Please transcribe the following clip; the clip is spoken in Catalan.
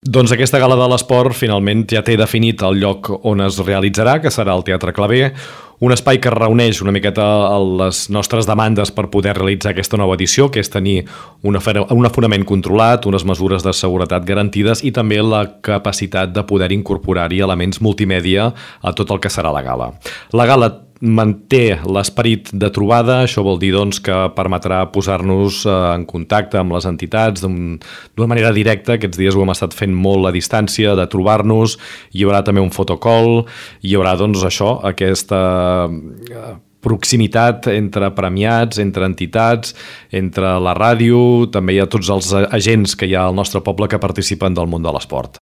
Doncs aquesta gala de l'esport finalment ja té definit el lloc on es realitzarà, que serà el Teatre Claver, un espai que reuneix una miqueta les nostres demandes per poder realitzar aquesta nova edició, que és tenir un aforament controlat, unes mesures de seguretat garantides i també la capacitat de poder incorporar-hi elements multimèdia a tot el que serà la gala. La gala manté l'esperit de trobada, això vol dir doncs, que permetrà posar-nos en contacte amb les entitats d'una manera directa. Aquests dies ho hem estat fent molt a distància, de trobar-nos. Hi haurà també un fotocall, hi haurà doncs, això, aquesta proximitat entre premiats, entre entitats, entre la ràdio, també hi ha tots els agents que hi ha al nostre poble que participen del món de l'esport.